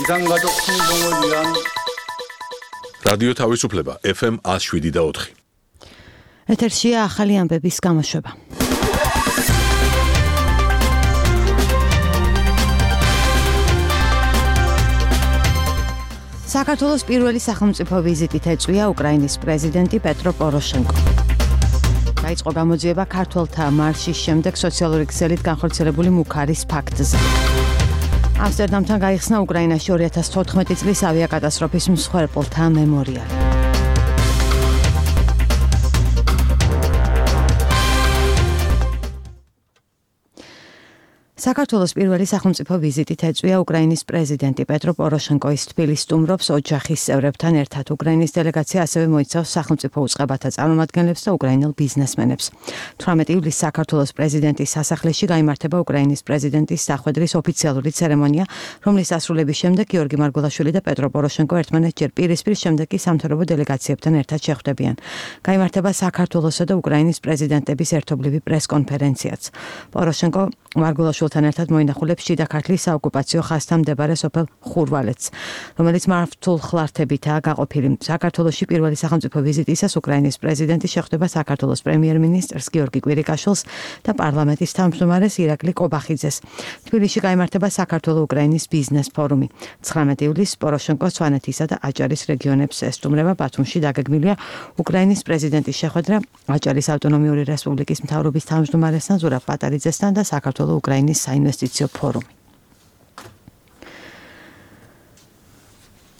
비상가족 행동을 위한 라디오 თავისუფლება FM 107.4. ეთერშია ახალი ამბების გამოშვება. საქართველოს პირველი სახელმწიფო ვიზიტით ეწვია უკრაინის პრეზიდენტი პეტრო პოროშენკო. დაიწყო გამოძიება ქართველთა მარშის შემდეგ სოციალური ქსელით განხორციელებული მუქარის ფაქტზე. ამსტერდამთან გაიხსნა უკრაინაში 2014 წლის ავიაკატასტროფის მსხვერპლთა მემორიალი. საქართველოს პირველი სახელმწიფო ვიზიტით ეწვია უკრაინის პრეზიდენტი პეტრო პოროშენკო. ის თბილისს სტუმრობს ოჯახის წევრებთან ერთად. უკრაინის დელეგაცია ასევე მოიცავს სახელმწიფო უწყებათა წარმომადგენლებს და უკრაინელ ბიზნესმენებს. 18 ივლისს საქართველოს პრეზიდენტის სასახლეში გაიმართება უკრაინის პრეზიდენტის სახვედრის ოფიციალური ცერემონია, რომლის დასრულების შემდეგ გიორგი მარგველაშვილი და პეტრო პოროშენკო ერთმანეთს პირისპირ შემდეგ კი სამთავრობო დელეგაციებთან ერთად შეხვდებიან. გაიმართება საქართველოსა და უკრაინის პრეზიდენტების ერთობლივი პრესკონფერენციაც. პოროშენკო მარგველაშვილთან ერთად მოინახულებს შიდა ქართლის საოკუპაციო ხაზთან მდებარე სოფელ ხურვალეთს, რომელიც მართულ ხლართებითაა გაყოფილი. საქართველოში პირველი სახელმწიფო ვიზიტისას უკრაინის პრეზიდენტი შეხვდება საქართველოს პრემიერ-მინისტრს გიორგი კვირიკაშვილს და პარლამენტის თავმჯდომარეს ირაკლი კობახიძეს. თბილისში გაიმართება საქართველო-უკრაინის ბიზნეს ფორუმი. 19 ივლისს პოროშენკო სვანეთისა და აჭარის რეგიონებს ესტუმრება. ბათუმში დაგეგმილია უკრაინის პრეზიდენტის შეხვედრა აჭარის ავტონომიური რესპუბლიკის მთავრობის თავმჯდომარესთან ზურაბ პატარიძესთან და საქართველო-უკრაინის საინვესტიციო ფორუმი.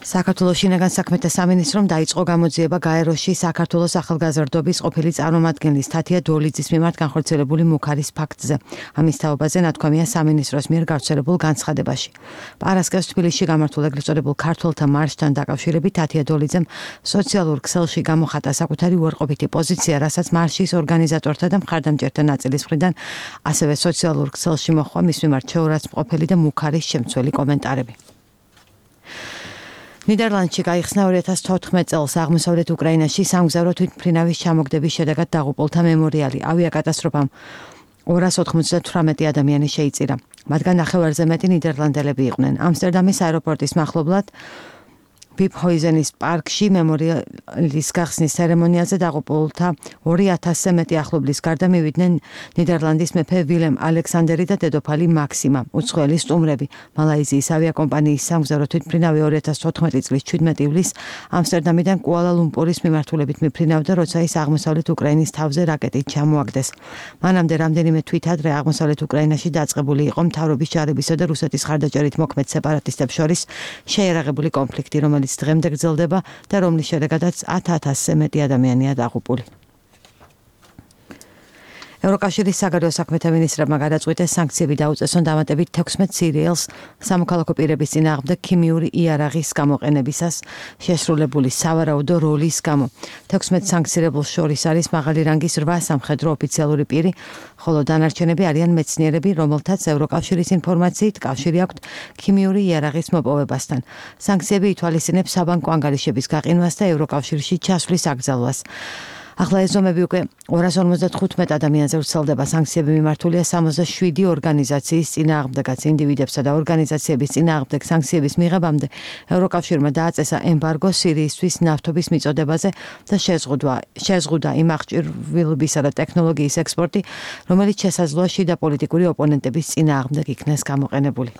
საქართველოს შინაგან საქმეთა სამინისტრომ დაიწყო გამოძიება გაეროში საქართველოს ახალგაზრდობის ყოფილი წარმომადგენლის თათია დოლიძის მიმართ განხორციელებული მუქარის ფაქტზე. ამის თაობაზე ნათქვამია სამინისტროს მიერ გავრცელებულ განცხადებაში. პარასკევს თბილისში გამართულ ეგრეთ წოდებულ ქართველთა მარშთან დაკავშირებით თათია დოლიძემ სოციალურ ქსელში გამოხატა საკუთარი უარყოფითი პოზიცია, რასაც მარშის ორგანიზატორთა და მხარდამჭერთა ნაწილის მხრიდან ასევე სოციალურ ქსელში მოჰყვა მის მიმართ შეურაცხმყოფელი და მუქარის შემცველი კომენტარები. ნიდერლანდში გაიხსნა 2014 წელს აღმოსავლეთ უკრაინაში სამგზავრო თვითმფრინავის ჩამოგდების შედეგად დაღუპულთა მემორიალი. ავიაკატასტროფამ 298 ადამიანი შეიწირა. მათგან ნახევარზე მეტი ნიდერლანდელები იყვნენ. ამსტერდამის აეროპორტის მახლობლად ბიფჰოიზენის პარკში მემორიალის გახსნის ცერემონიაზე დაღუპულთა 2000-ზე მეტი ახლობლის გარდა მივიდნენ ნიდერლანდის მეფე ვილემ ალექსანდერი და დედოფალი მაქსიმა. უცხოელი სტუმრები მალაიზიის ავიაკომპანიის სამგზავრო თვითმფრინავი 2014 წლის 17 ივლისს ამსტერდამიდან კუალა-ლუმპურის მიმართულებით მიფრინავდა, როცა ის აღმოსავლეთ უკრაინის თავზე რაკეტით ჩამოაგდეს. მანამდე რამდენიმე თვითადრე აღმოსავლეთ უკრაინაში დაწყებული იყო მთავრობის ჯარებისა და რუსეთის ხარდაჭერით მოქმედ სეპარატისტებს შორის შეიარაღებული კონფლიქტი, რომელიც დღემდე გრძელდება და რომლის შედეგადაც 10,000-ზე მეტი ადამიანია დაღუპული. ევროკავშირის საგარეო საქმეთა მინისტრებმა გადაწყვიტეს სანქციები დაუწესონ დამატებით 16 სირიელს სამოქალაქო პირების წინააღმდეგ ქიმიური იარაღის გამოყენებისას შესრულებული სავარაუდო როლის გამო. 16 სანქცირებულს შორის არის მაღალი რანგის 8 სამხედრო ოფიციალური პირი, ხოლო დანარჩენები არიან მეცნიერები, რომელთაც ევროკავშირის ინფორმაციით კავშირი აქვთ ქიმიური იარაღის მოპოვებასთან. სანქციები ითვალისწინებს საბანკო ანგარიშების გაყინვას და ევროკავშირში ჩასვლის აკრძალვას. ახლა ეს ზომები უკვე 255 ადამიანზე ვრცელდება. სანქციები მიმართულია 67 ორგანიზაციის წინააღმდეგაც. ინდივიდებსა და ორგანიზაციების წინააღმდეგ სანქციების მიღებამდე ევროკავშირმა დააწესა ემბარგო სირიისთვის ნავთობის მიწოდებაზე და შეზღუდა იმ აღჭურვილობისა და ტექნოლოგიის ექსპორტი, რომელიც შესაძლოა შიდა პოლიტიკური ოპონენტების წინააღმდეგ იქნეს გამოყენებული.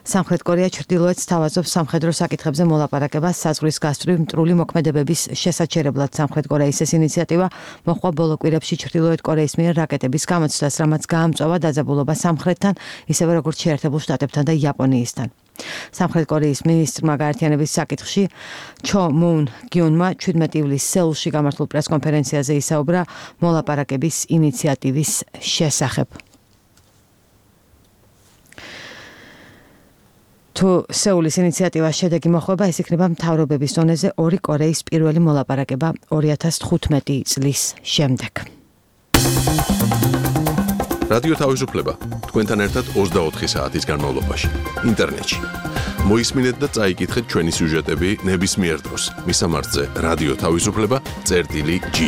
სამხრეთ კორეა ჩრდილოეთს თავაზობს სამხედრო საკითხებზე მოლაპარაკებას საზღვრის გასწვრივ მტრული მოქმედებების შესაჩერებლად. სამხრეთ კორეის ეს ინიციატივა მოჰყვა ბოლო კვირებში ჩრდილოეთ კორეის მიერ რაკეტების გამოცდას, რამაც გაამწვავა დაძაბულობა სამხრეთთან, ისევე როგორც შეერთებულ შტატებთან და იაპონიისთან. სამხრეთ კორეის მინისტრმა გაერთიანების საკითხში ჩო მუნ გიონმა 17 ივლისს სეულში გამართულ პრესკონფერენციაზე ისაუბრა მოლაპარაკების ინიციატივის შესახებ. თუ სეულის ინიციატივას შედეგი მოხვება, ეს იქნება მთავრობების დონეზე 2 კორეის პირველი მოლაპარაკება 2015 წლის შემდეგ. რადიო თავისუფლება თქვენთან ერთად 24 საათის განმავლობაში ინტერნეტში. მოისმინეთ და წაიკითხეთ ჩვენი სიუჟეტები ნებისმიერ დროს. მისამართზე რადიო თავისუფლება წერტილი G.